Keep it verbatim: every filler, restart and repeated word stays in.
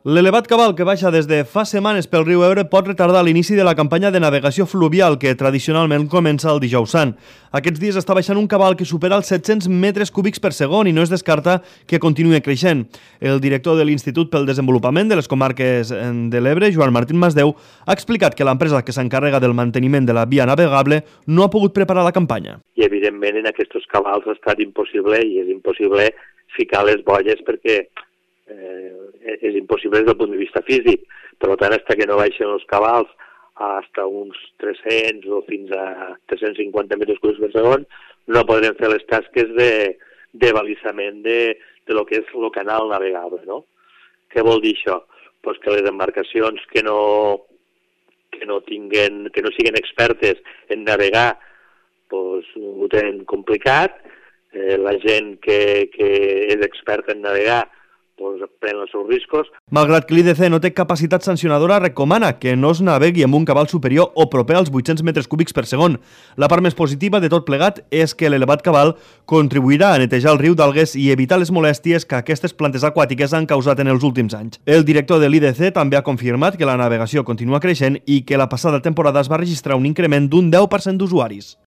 L'elevat cabal que baixa des de fa setmanes pel riu Ebre pot retardar l'inici de la campanya de navegació fluvial que tradicionalment comença el dijous sant. Aquests dies està baixant un cabal que supera els set-cents metres cúbics per segon i no es descarta que continuï creixent. El director de l'Institut pel Desenvolupament de les Comarques de l'Ebre, Joan Martín Masdeu, ha explicat que l'empresa que s'encarrega del manteniment de la via navegable no ha pogut preparar la campanya. I evidentment en aquests cabals ha estat impossible i és impossible ficar les bolles perquè eh, és impossible des del punt de vista físic. Per tant, fins que no baixen els cabals fins a uns tres-cents o fins a tres-cents cinquanta metres cúbics per segon, no podrem fer les tasques de, de balisament de, de lo que és el canal navegable, no? Què vol dir això? Pues que les embarcacions que no, que no tinguen, que no siguin expertes en navegar, pues, ho tenen complicat. Eh, la gent que, que és experta en navegar pues, pren els seus riscos. Malgrat que l'I D C no té capacitat sancionadora, recomana que no es navegui amb un cabal superior o proper als vuit-cents metres cúbics per segon. La part més positiva de tot plegat és que l'elevat cabal contribuirà a netejar el riu d'algues i evitar les molèsties que aquestes plantes aquàtiques han causat en els últims anys. El director de l'I D C també ha confirmat que la navegació continua creixent i que la passada temporada es va registrar un increment d'un deu per cent d'usuaris.